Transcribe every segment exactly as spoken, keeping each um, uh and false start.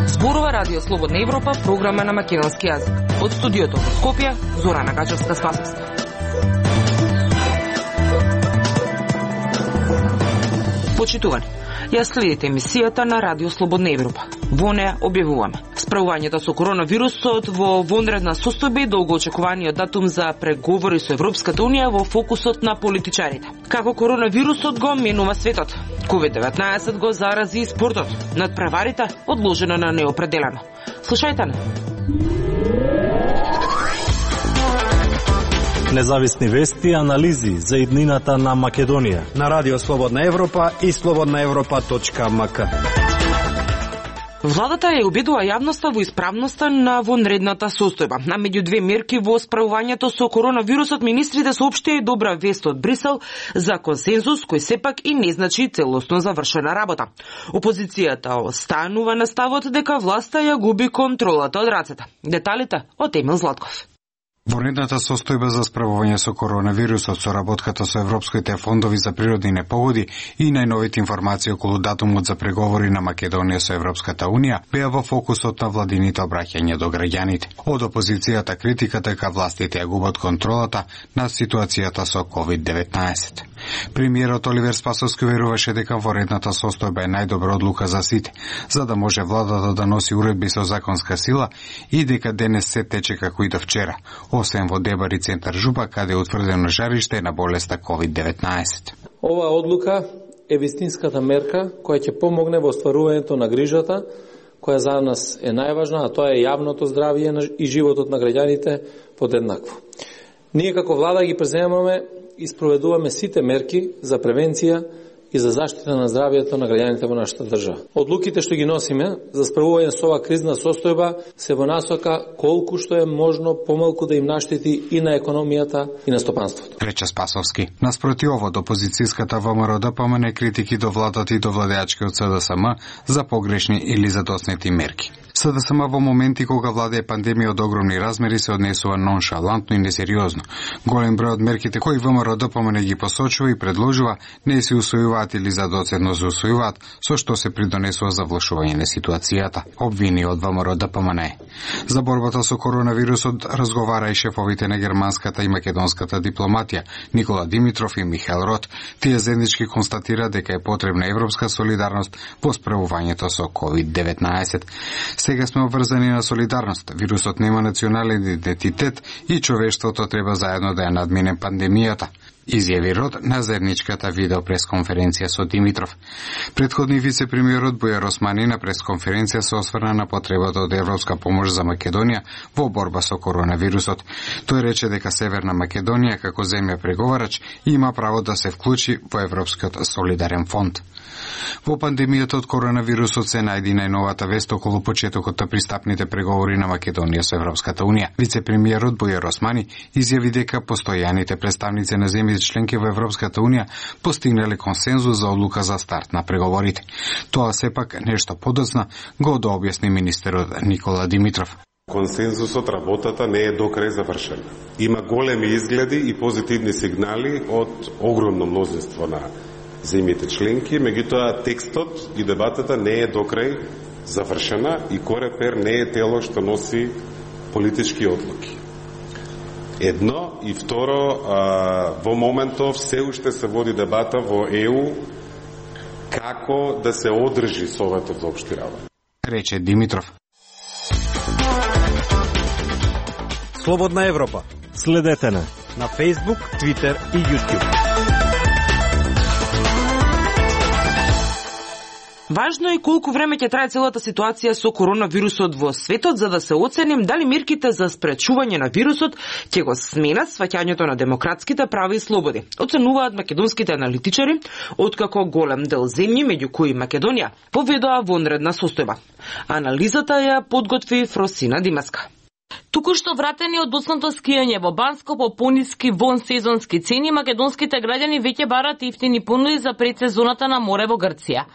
Зборува Радио Слободна Европа, програма на македонски јазик. Од студиото во Скопје, Зорана Гачевска-Спасовска. Почитувани, ја следите емисијата на Радио Слободна Европа. Во неја објавуваме справувањето со коронавирусот во вонредна состојба и долгоочекуваниот датум за преговори со Европската Унија во фокусот на политичарите. Како коронавирусот го менува светот, ковид деветнаесет го зарази и спортот, надпреварите одложено на неопределено. Слушајте не. Независни вести и анализи за иднината на Македонија на Радио Слободна Европа и слободна европа точка ем ка. Владата ја убедува јавноста во исправноста на вонредната состојба. На меѓу две мерки во справувањето со коронавирусот, министрите соопштија и добра вест од Брисел за консензус кој сепак и не значи целосно завршена работа. Опозицијата останува на ставот дека власта ја губи контролата од рацете. Деталите од Емил Златков. Вонредната состојба за справување со коронавирусот, соработката со европските фондови за природни непогоди и најновите информации околу датумот за преговори на Македонија со Европската Унија беа во фокусот на владините обраќања до граѓаните. Од опозицијата критиката дека властите ја губат контролата на ситуацијата со ковид деветнаесет. Премиерот Оливер Спасовски веруваше дека вонредната состојба е најдобра одлука за сите, за да може владата да носи уредби со законска сила и дека денес се тече како и до вчера, освен во Дебари центар Жупа, каде е утврдено жариште на болеста ковид деветнаесет. Оваа одлука е вистинската мерка која ќе помогне во остварувањето на грижата која за нас е најважна, а тоа е јавното здравје и животот на граѓаните подеднакво. Ние како влада ги преземаме и спроведуваме сите мерки за превенција и за заштита на здравјето на граѓаните во нашата држава. Одлуките што ги носиме за справување со оваа кризна состојба се во насока колку што е можно помалку да им наштети и на економијата и на стопанството. Рече Спасовски. Наспроти ово, опозицијската ВМРО помане критики до владата и до владеачкиот СДСМ за погрешни или задоснети мерки. СДСМ во моменти кога владее пандемија од огромни размери се однесува ноншалантно и несериозно. Голем број од мерките кои ВМРО помане ги посочува и предложува не се усвојуваат или задоцедно се усвојуваат, со што се придонесува за влошување на ситуацијата. Обвини од ВМРО помане. За борбата со коронавирусот разговара и шефовите на германската и македонската дипломатија Никола Димитров и Михаел Рот. Тие заеднички констатира дека е потребна европска солидарност во справувањето со ковид деветнаесет. Сега сме обврзани на солидарност. Вирусот нема национален идентитет и човештвото треба заедно да ја надмине пандемијата, изјави Рот на заедничката видео пресконференција со Димитров. Претходни вице-премиерот Бујар Османи на пресконференција се осврна на потребата од европска помош за Македонија во борба со коронавирусот. Тој рече дека Северна Македонија како земја преговарач има право да се вклучи во Европскиот солидарен фонд. Во пандемијата од коронавирусот се најди најновата вест околу почетокот на пристапните преговори на Македонија со Европската Унија. Вице-премиерот Бујар Османи изјави дека постојаните представници на земјите членки во Европската Унија постигнале консензус за одлука за старт на преговорите. Тоа сепак нешто подоцна го дообјасни министерот Никола Димитров. Консензусот, работата не е до крај завршена. Има големи изгледи и позитивни сигнали од огромно мнозинство на земјите членки, меѓутоа текстот и дебатата не е до крај завршена и Корепер не е тело што носи политички одлуки. Едно и второ, а, во моментов се уште се води дебата во Е У како да се одржи Советот за општи работи. Рече Димитров. Слободна Европа. Следете на на Facebook, Twitter и YouTube. Важно е колку време ќе трае целата ситуација со коронавирусот во светот, за да се оценим дали мерките за спречување на вирусот ќе го сменат сваќањето на демократските права и слободи. Оценуваат македонските аналитичари, откако голем дел земји, меѓу кои Македонија, поведоа вонредна состојба. Анализата ја подготви Фросина Димаска. Току-што вратени од доцнато скијање во Банско по пониски вонсезонски цени, македонските граѓани веќе барат ифтини понуди за предсезоната на море во Грција.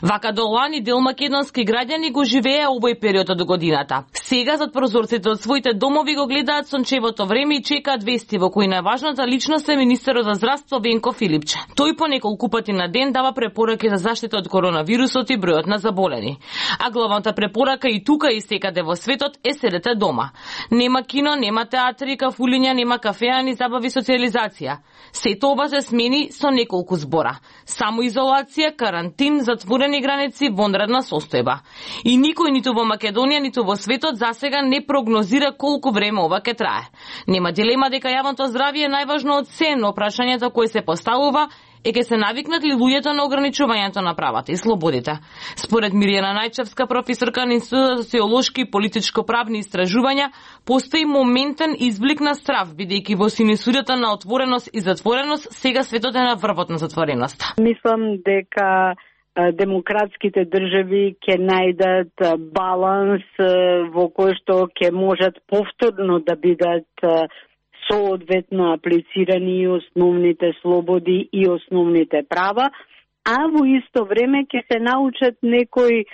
Вака до лани дел македонски граѓани го живее овој период од годината. Сега зад прозорците од своите домови го гледаат сончевото време и чекаат вести во кои најважната личност е министерот за здравство Венко Филипче. Тој по неколку пати на ден дава препораки за заштита од коронавирусот и бројот на заболени. А главната препорака и тука и секаде во светот е седете дома. Нема кино, нема театри, кафулиња, нема кафеа ни забави, социализација. Сето ова се смени со неколку збора. Самоизолација, карантин, затворени граници, вонредна состојба. И никој ниту во Македонија, ниту во светот засега не прогнозира колку време ова ќе трае. Нема дилема дека јавното здравје е најважно од се, но прашањето кое се поставува е ке се навикнат ли луѓето на ограничувањето на правата и слободите. Според Мирјана Најчевска, професорка на Институтот за социолошки и политичко-правни истражувања, постои моментен изблик на страв, бидејќи во синусурата на отвореност и затвореност сега светот е на врвот на затвореноста. Мислам дека демократските држави ќе најдат баланс во кој што ќе можат повторно да бидат соодветно аплицирани и основните слободи и основните права, а во исто време ќе се научат некои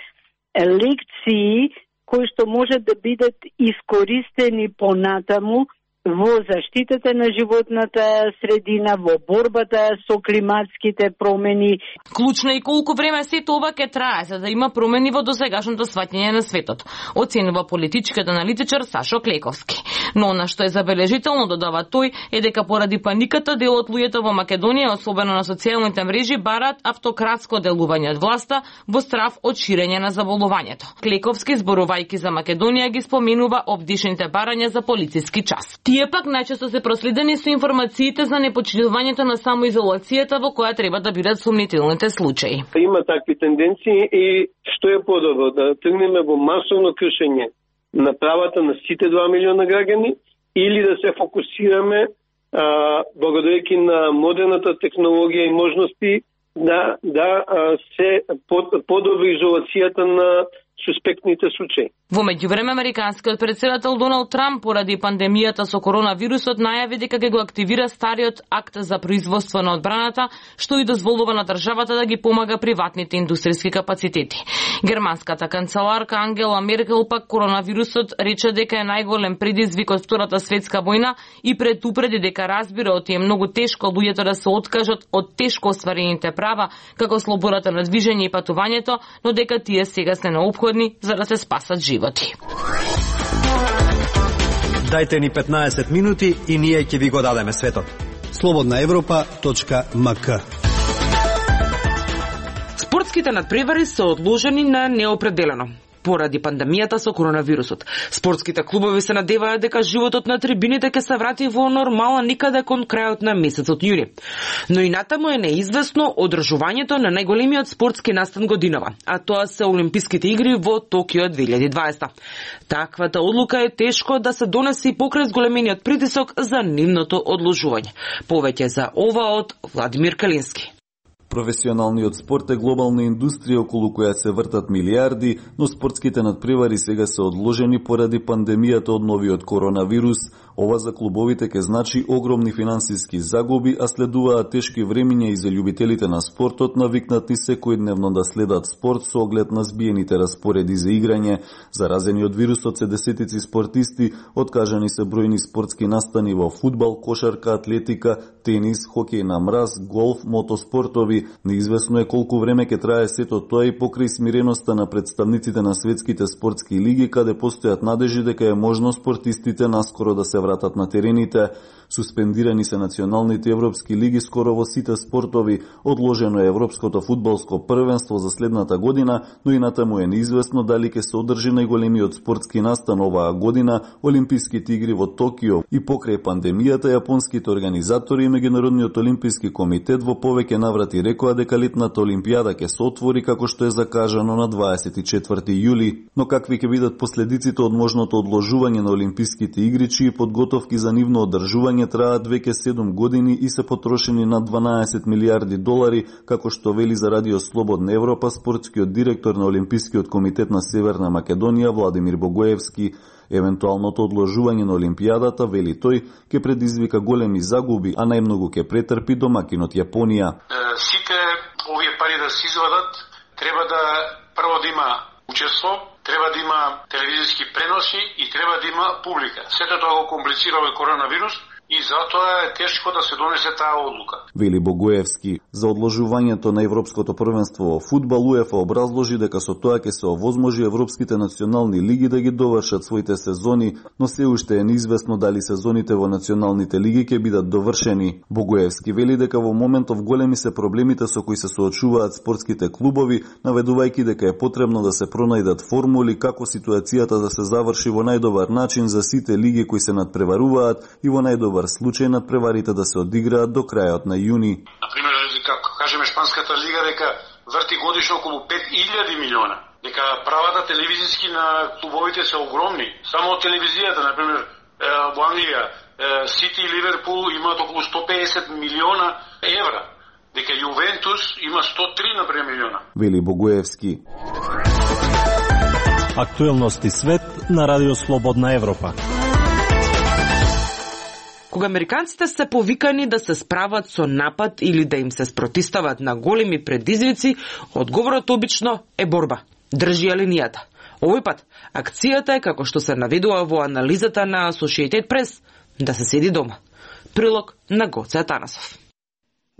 лекции кои што можат да бидат искористени понатаму во заштитата на животната средина, во борбата со климатските промени. Клучно и колку време сето ова ќе трае за да има промени во досегашното сваќање на светот, оценува политичкиот аналитичар Сашо Клековски. Но она што е забележително, додава тој, е дека поради паниката дел од луѓето во Македонија, особено на социјалните мрежи, бараат автократско делување од власта во страв од ширење на заболувањето. Клековски, зборувајќи за Македонија, ги споменува обдишните барања за полициски час. Тие пак најчесто се проследени со информациите за непочитувањето на самоизолацијата во која треба да бидат сумнителните случаи. Има такви тенденции и што е подобро да тргнеме во масовно кршење на правата на сите два милиона граѓани или да се фокусираме а, благодарејќи на модерната технологија и можности да да а, се под, подобри изолацијата на суспектните случаи. Во меѓувреме, американскиот претседател Доналд Трамп поради пандемијата со коронавирусот најави дека ќе го активира стариот акт за производство на одбраната, што и дозволува на државата да ги помага приватните индустријски капацитети. Германската канцеларка Ангела Меркел пак коронавирусот рече дека е најголем предизвик од Втората светска војна и предупреди дека разбира оти е многу тешко луѓето да се откажат од тешко остварените права, како слободата на движење и патувањето, но дека тие сега се неопходни за да се спасат животи. Дајте ни петнаесет минути и ние ќе ви го дадеме светот. слободна европа точка ем ка. Спортските надпревари се одложени на неопределено поради пандемијата со коронавирусот. Спортските клубови се надеваат дека животот на трибините ќе се врати во нормала никаде кон крајот на месецот јуни. Но и натаму е неизвестно одржувањето на најголемиот спортски настан годинава, а тоа се Олимписките игри во Токио две илјади и дваесета. Таквата одлука е тешко да се донесе и покрај зголемениот притисок за нивното одложување. Повеќе за ова од Владимир Калински. Професионалниот спорт е глобална индустрија околу која се вртат милиарди, но спортските надпревари сега се одложени поради пандемијата од новиот коронавирус. Ова за клубовите ќе значи огромни финансиски загуби, а следуваат тешки времиња и за љубителите на спортот, навикнати секојдневно да следат спорт со оглед на збиените распореди за играње. Заразени од вирусот се десетици спортисти, откажани се бројни спортски настани во фудбал, кошарка, атлетика, тенис, хокеј на мраз, голф, мотоспортови. Неизвестно е колку време ќе трае сето тоа и покрај смиреноста на представниците на светските спортски лиги, каде постојат надежи дека е можно спортистите наскоро да се вратат на терените. Суспендирани се националните европски лиги скоро во сите спортови, одложено е европското фудбалско првенство за следната година, но и натаму е неизвестно дали ќе се одржи најголемиот спортски настан оваа година, Олимписките игри во Токио. И покрај пандемијата, јапонските организатори и Меѓународниот олимписки комитет во повеќе наврати рекоа дека летната олимпијада ќе се отвори како што е закажано на дваесет и четврти јули. Но какви ќе бидат последиците од можното одложување на Олимписките игри, чии подготовки за нивно одржување траат веќе седум години и се потрошени на дванаесет милиарди долари, како што вели за Радио Слободна Европа спортскиот директор на Олимпискиот комитет на Северна Македонија Владимир Богоевски. Евентуалното одложување на Олимпијадата, вели тој, ќе предизвика големи загуби, а најмногу ќе претрпи домакинот Јапонија. Сите овие пари да се извадат, треба да прво да има учество треба да има телевизиски преноси и треба да има публика. Сето тоа го комплицира овој коронавирус и затоа е тешко да се донесе таа одлука. Вели Богоевски. За одложувањето на Европското првенство во фудбал УЕФА образложи дека со тоа ќе се овозможи европските национални лиги да ги довршат своите сезони, но се уште е неизвестно дали сезоните во националните лиги ќе бидат довршени. Богоевски вели дека во моментов големи се проблемите со кои се соочуваат спортските клубови, наведувајќи дека е потребно да се пронајдат формули како ситуацијата да се заврши во најдобар начин за сите лиги кои се надпреваруваат и во најдобар случај надпреварите да се одиграат до крајот на јуни. Например, како кажеме шпанската лига дека врти годишно околу пет илјади милиона, дека правата телевизиски на клубовите се огромни. Само од телевизијата, например, во Англија, Сити и Ливерпул имаат околу сто педесет милиона евра, дека Јувентус има сто три например милиона. Вели Богоевски. Актуелности свет на Радио Слободна Европа. Кога американците се повикани да се справат со напад или да им се спротистават на големи предизвици, одговорот обично е борба. Држи ја линијата. Овој пат, акцијата е, како што се наведува во анализата на Associated Press, да се седи дома. Прилог на Гоце Атанасов.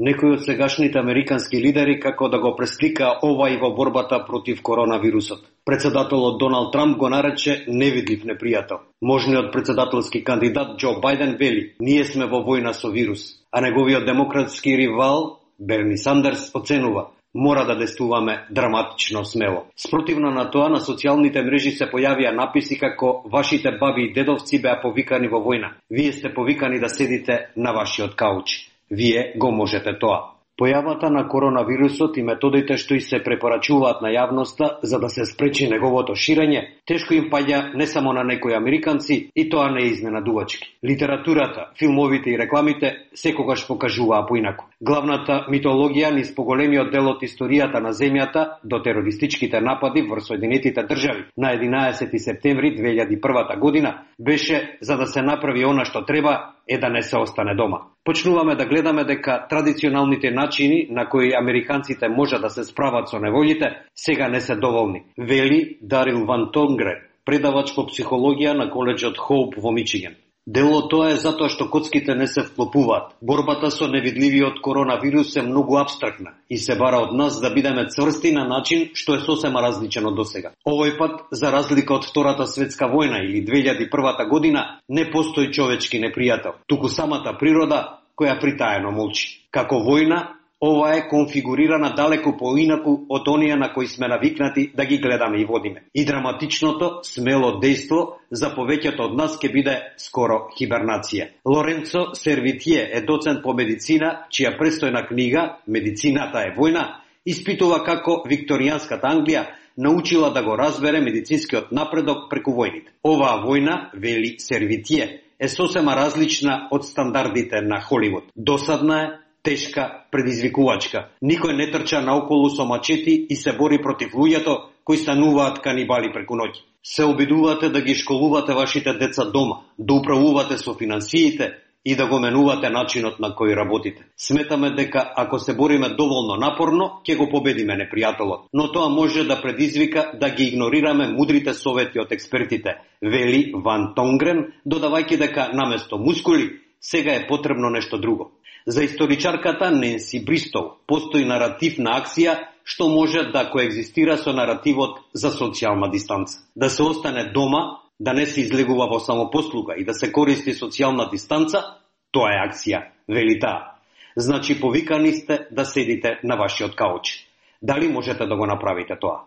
Некои од сегашните американски лидери како да го преслика ова и во борбата против коронавирусот. Председателот Доналд Трамп го нарече невидлив непријател. Можниот председателски кандидат Џо Бајден вели: "Ние сме во војна со вирус", а неговиот демократски ривал Берни Сандерс оценува: "Мора да действуваме драматично смело." Спротивно на тоа, на социјалните мрежи се појавија написи како "Вашите баби и дедовци беа повикани во војна. Вие сте повикани да седите на вашиот кауч. Вие го можете тоа." Појавата на коронавирусот и методите што и се препорачуваат на јавноста за да се спречи неговото ширење, тешко им паѓа не само на некои американци, и тоа не е изненадувачки. Литературата, филмовите и рекламите секогаш покажуваа поинаку. Главната митологија низ поголемиот дел од историјата на земјата до терористичките напади врз Соединетите држави на единаесети септември две илјади и прва година беше за да се направи она што треба е да не се остане дома. Почнуваме да гледаме дека традиционалните начини на кои американците може да се справат со неволите сега не се доволни, вели Дарил Ван Тонгре, предавач по психологија на коледжот Хоуп во Мичиген. Дел од тоа е затоа што коцките не се вклопуваат. Борбата со невидливиот коронавирус е многу абстрактна и се бара од нас да бидеме цврсти на начин што е сосема различен од досега. Овој пат, за разлика од Втората светска војна или две илјади и прва година, не постои човечки непријател, туку самата природа која притаено молчи. Како војна, ова е конфигурирана далеку поинаку од оние на кои сме навикнати да ги гледаме и водиме. И драматичното, смело дејство за повеќето од нас ќе биде скоро хибернација. Лоренцо Сервитие е доцент по медицина, чија престојна книга "Медицината е војна" испитува како викторијанската Англија научила да го разбере медицинскиот напредок преку војните. Оваа војна, вели Сервитие, е сосема различна од стандардите на Холивуд. Досадна е, тешка, предизвикувачка. Никој не трча наоколу со мачети и се бори против луѓето кои стануваат канибали преку ноќ. Се обидувате да ги школувате вашите деца дома, да управувате со финансиите и да го менувате начинот на кој работите. Сметаме дека ако се бориме доволно напорно, ќе го победиме непријателот. Но тоа може да предизвика да ги игнорираме мудрите совети од експертите, вели Ван Тонгрен, додавајќи дека наместо мускули, сега е потребно нешто друго. За историчарката Ненси Бристоу постои наратив на акција што може да коегзистира со наративот за социјална дистанца. Да се остане дома, да не се излегува во самопослуга и да се користи социјална дистанца, тоа е акција, вели таа. Значи повикани сте да седите на вашиот кауч. Дали можете да го направите тоа?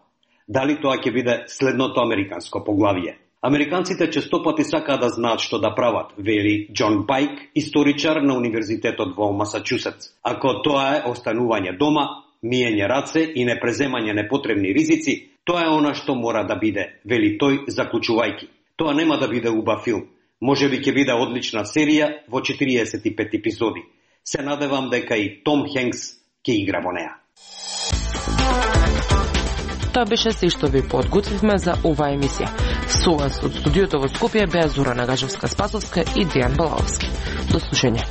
Дали тоа ќе биде следното американско поглавие? Американците честопати сакаат да знаат што да прават, вели Џон Пайк, историчар на Универзитетот во Масачусетс. Ако тоа е останување дома, миење раце и непреземање непотребни ризици, тоа е она што мора да биде, вели тој заклучувајќи. Тоа нема да биде убав филм. Може би ќе биде одлична серија во четириесет и пет епизоди. Се надевам дека и Том Хенкс ќе игра во неа. Тоа беше се што ви подготвивме за оваа емисија. Со вас од студиото во Скопје беа Зора Нагажевска-Спасовска и Дејан Балаовски. До слушање.